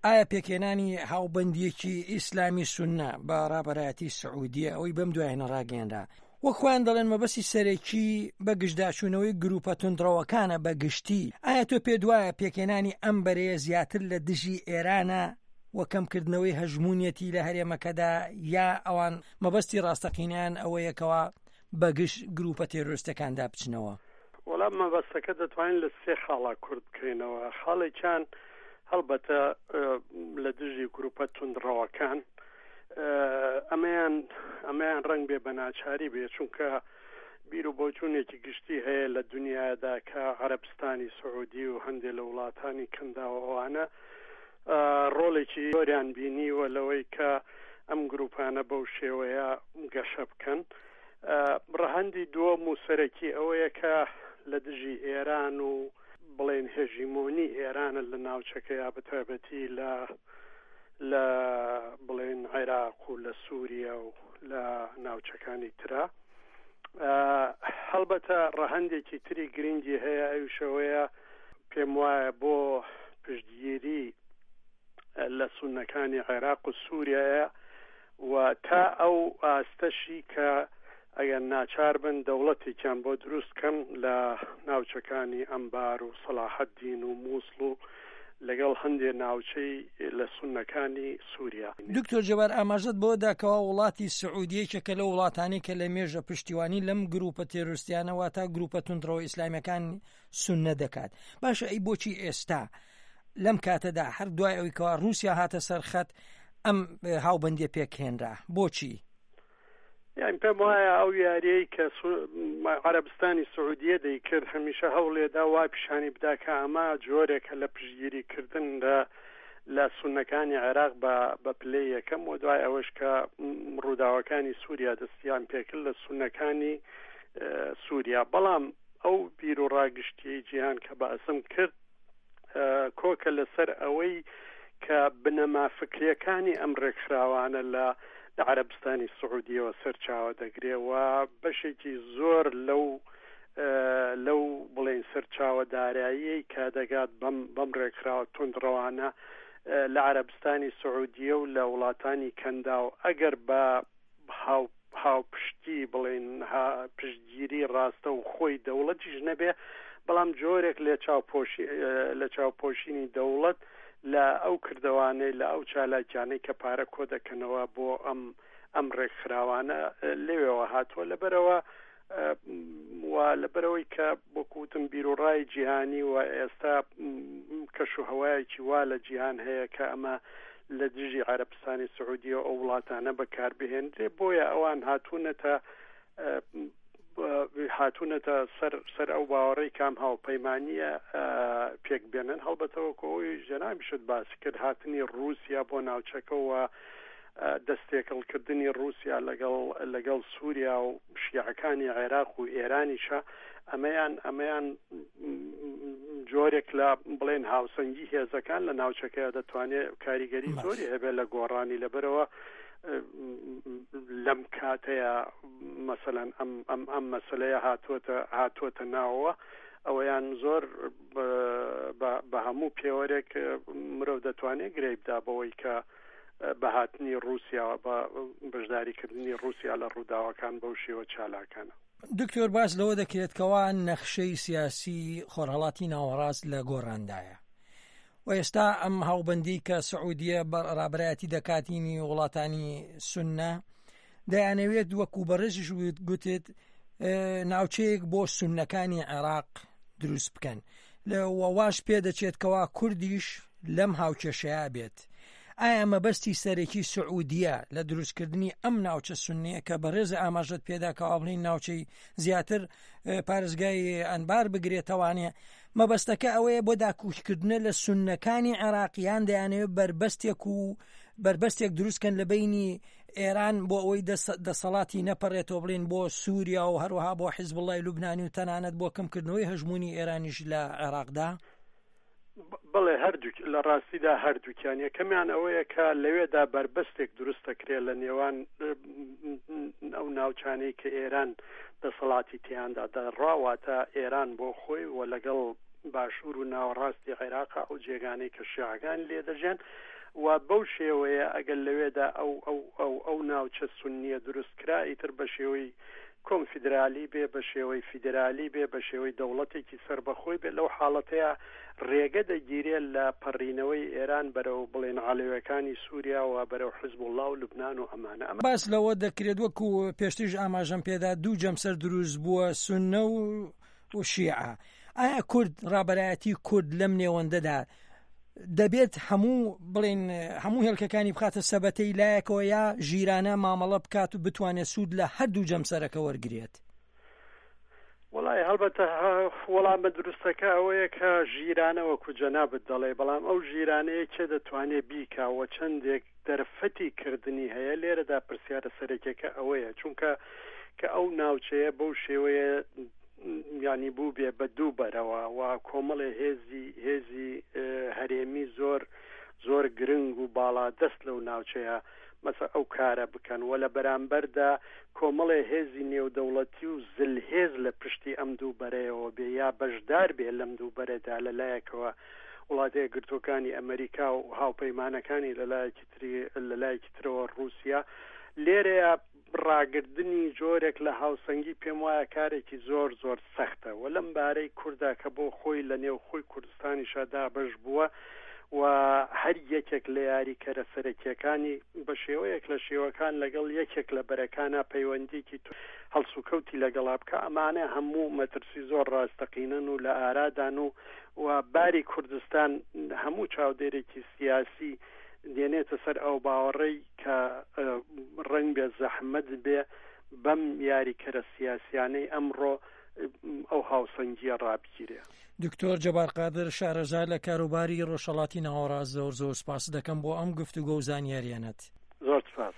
ئایا پێکهێنانی هاوبەندییەکی ئیسلامی سوننە بە ڕابەرایەتی سعودیە ئەوەی بەم دوایانە ڕاگەیەنرا، وەک خۆیان دەڵێن مەبەستی سەرەکی بە گژداچوونەوەی گروپە توندڕەوەکانە بە گشتی، ئایا تۆ پێت وایە پێکهێنانی ئەم بەرەیە زیاتر لە دژی ئێرانە و کەمکردنەوەی هەژموونیەتی لە هەرێمەکەدا یا ئەوان مەبەستی ڕاستەقینەیان ئەوەیە کەوا بەگژ گروپە تێرۆرستەکاندا بچنەوە؟ وەڵا مەبەستەکە دەتوانین لە سێ خاڵا کورت بکەینەوە خاڵێکیان هەڵبەتە لە دژی گروپە توندڕەوەکان ئەمەیان ئەمەیان ڕنگ بێ بە ناچاری بێ چونکە بیر و بۆچوونێکی گشتی هەیە لە دنیادا کە عەربستانی سعودی و هەندێک لە وڵاتانی کەنداوە ئەوانە ڕۆڵێکی زۆریان بینیوە لەوەی کە ئەم گروپانە بەو شێوەیە گەشە بکەن. ڕەهەندی دووەم و سەرەکی ئەوەیە کە لە دژی ئێران و بڵێن هێژیمۆنی ئێرانە لە ناوچەکەیا بە تایبەتی لە لە بڵێن عێراق و لە سووریا و لە ناوچەکانی ترا. هەڵبەتە ڕەهەندێکی تری گرنگی هەیە ئەویش ئەوەیە پێم وایە بۆ پشتگیری لە سوننەکانی عێراق و سووریایە و تا ئەو ئاستەشی کە ئەگەر ناچار بن دەوڵەتێکیان بۆ دروست کەن لە ناوچەکانی ئەنبار و سەڵاحەدین و مووسڵ و لەگەڵ هەندێ ناوچەی لە سوننەکانی سووریا. دکتۆر جەبار ئاماژەت بەوە دا کەوا وڵاتی سعودیە یەکێکە لەو وڵاتانەی کە لە مێژە پشتیوانی لەم گروپە تێرۆرستیانە واتە گروپە توندڕەوە ئیسلامیەکان سوننە دەکات باشە ئەی بۆچی ئێستا لەم کاتەدا هەر دوای ئەوی کەوا رووسیا هاتە سەر خەت ئەم هاوبەندیە پێکهێنرا بۆچی؟ یان پێم وایە ئەو یاریەی کە عەرەبستانی سعودیە دەیکرد هەمیشە هەوڵێدا وا پیشانی بدا کە ئەمە جۆرێکە لە پشتگیری کردن لە لە سونەکانی عێراق بە بە پلەی یەکەم و دوای ئەوەش کە ڕووداوەکانی سووریا دەستیان پێکرد لە سونەکانی سووریا بەڵام ئەو بیر و ڕاگشتیەی جیهان کە باسم کرد کۆکە لەسەر ئەوەی کە بنەما فکریەکانی ئەم ڕێکخراوانە لە لە عەرەبستانی سعودیەوە سەرچاوە دەگرێ و بەشێکی زۆر لەو لەو بڵێن سەرچاوە داراییەی کە دەگات بەم بەم ڕێکخراوە توندڕەوانە لە عەرەبستانی سعودیە و لە وڵاتانی کەنداو ئەگەر بە هاو هاوپشتی بڵێین پشتگیری ڕاستە و خۆی دەوڵەتیش نەبێ بەڵام جۆرێک لە چاوپۆشی لە چاوپۆشینی دەوڵەت لە ئەو کردەوانەی لە ئەو چالاکیانەی کە پارە کۆ دەکەنەوە بۆ ئەم ئەم ڕێکخراوانە لەوێوە هاتووە لەبەرەوە و لەبەرەوەی کە وەکوتم بیرروڕای جیهانی و ئێستا کەش و هەوایەکی وا لە جیهان هەیە کە ئەمە لە دژی عەرەبستانی سعودیە و ئەو وڵاتانە بەکاربهێنرێ بۆیە ئەوان هاتوونەتە هاتوونەتە سەر سەر ئەو باوەڕی کام هاوپەیمانیە پێک بێنن هەڵبەتەوە کۆی جەنابیشت باسی کرد هاتنی رووسیا بۆ ناوچەکەەوە دەستێکەڵکردنی ڕووسیا لەگەڵ لەگەڵ سووریا و شیعەکانی عێراق و ئێرانیشە ئەمەیان ئەمەیان جۆرێک لە بڵێن هاوسەنگی هێزەکان لە ناوچەکەی دەتوانێت کاریگەری زۆری هەبێت لە گۆڕانی لەبەرەوە لەم کاتەیە مەسەەن ئەم ئەم ئەم مەسلەیە هاتووەتە هاتووەتە ناوەوە ئەوەیان زۆر بە هەموو پێوەرێک مرۆڤ دەتوانێت گرەی بدا بەوەی کە بە هاتنی ڕووسیاوە بە بەشداریکردنی ڕووسیا لە ڕووداوەکان بەو شێوە چالاکانە. دکتۆر باس لەوە دەکرێت کەوا نەخشەی سیاسی خۆرهەڵاتی ناوەڕاست لە گۆڕاندایە و ئێستا ئەم هاوبەندی کە سعودیە بە ڕابەرایەتی دەکاتینی وڵاتانی سوننە دەیانەوێت وەکو بەڕێزیش گوتت ناوچەیەک بۆ سوننەکانی عێراق دروست بکەن واش پێدەچێت کەوا کوردیش لەم هاوکێشەیە بێت ئایا مەبەستی سەرەکی سعودیە لە دروستکردنی ئەم ناوچە سوننیە کە بەڕێز ئاماژەت پێدا کەوا بڵین ناوچەی زیاتر پارێزگای ئەنبار بگرێتەوانێ مەبەستەکە ئەوەیە بۆ داکوکیکردنە لە سوننەکانی عێراق یان دەیانەوێت بەربەستێک و بەربەستێک دروستکەن لە بینی ئێران بۆ ئەوەی دەسەڵاتی نەپەڕێتەوە بڵین بۆ سووریا و هەروەها بۆ حیزبوڵای لوبنانی و تەنانەت بۆ کەمکردنەوەی هەژمونی ئێرانیش لە عێراقدا؟ بەڵێ هەردووک لە ڕاستیدا هەردووکیان یەکەمیان ئەوەیە کە لەوێدا بەربەستێک دروست دەکرێت لە نێوان ئەو ناوچانەی کە ئێران دەسەڵاتی تیاندا دەڕا واتە ئێران بۆ خۆی و لەگەڵ باشوور و ناوەڕاستی عێراق ئەو جێگانەی کە شیعەکان لێ دەژێن. و بەو شێوەیە ئەگەر لەوێدا ئەو ئەو ئەو ئەو ناوچە سوننیە دروست کرا ئیتر بە شێوەی کۆنفیدرالی بێ، بە شێوەی فیدرالی بێ، بە شێوەی دەوڵەتێکی سەربەخۆی بێ، لەو حاڵەتەیا ڕێگە دەگیرێ لە پەڕینەوەی ئێران بەرەو بڵێن عەلەوێکانی سووریا و بەرەو حزبوڵڵا و لوبنان و ئەمانە. ئەمە. باس لەوە دەکرێت وەکو پێشتریش ئاماژەم پێدا دوو جەمسەر دروست بووە سوننە و و شیعە. ئایا کورد ڕابەرایەتی کورد لەم نێوەندەدا دەبێت هەموو بڵێن هەموو هێلکەکانی بخاتە سەبەتەی لایەکەوە یا ژیرانە مامەڵە بکات و بتوانێت سوود لە هەردوو جەمسەرەکە وەرگێت؟ وەڵای هەڵبەتە وەڵامە دروستەکە ئەوەیە کە ژیرانە وەکو جەنابت دەڵێ بەڵام ئەو ژیرانەیە کێ دەتوانێ بیکا و چەندێک دەرفەتی کردنی هەیە لێرەدا پرسیارە سەرەکیەکە ئەوەیە چونکە کە ئەو ناوچەیە بەو شێوەیە ینی بوو بێ بە دوو بەرەوە و کۆمەڵێ هێزی هێزی هەرێمی زۆر زۆر گرنگ و باڵا دەست لەو ناوچەیە مەسە ئەو کارە بکەن و لە بەرامبەردا کۆمەڵێ هێزی نێودەوڵەتی و زلهێز لە پشتی ئەم دوو بەرەیەوە بێ یا بەشدار بێ لەم دوو بەرەدا لە لایەکەوە وڵاتە یەکگرتووەکانی ئەمەریکا و هاوپەیمانەکانی لە لایەکی تری لە لایەکی ترەوە ڕووسیا لێرەیە ڕاگردنی جۆرێک لە هاوسەنگی پێم وایە کارێکی زۆر زۆر سەختە و لەم بارەی کوردا کە بۆ خۆی لە نێو خۆی کوردستانیشا دابەش بووە و هەر یەکێک لە یاریکەرە سەرەکیەکانی بە شێوەیەک لە شێوەکان لەگەڵ یەکێک لە بەرەکانا پەیوەندیکی هەڵسوکەوتی لەگەڵا بکا ئەمانە هەموو مەترسی زۆر ڕاستەقینەن و لە ئارادان و و باری کوردستان هەموو چاودێرێکی سیاسی دێنێتە سەر ئەو باوەڕەی کە ڕەنگبێ زەحمەت بێ بەم یاریکەرە سیاسیانەی ئەمڕۆ ئەو هاوسەنگیە ڕابگیرێ. دکتۆر جەبار قادر شارەزا لە کاروباری ڕۆژهەڵاتی ناوەڕاست زۆر زۆر سپاست دەکەم بۆ ئەم گفتوگۆ و زانیاریانەت. زۆر سپاس.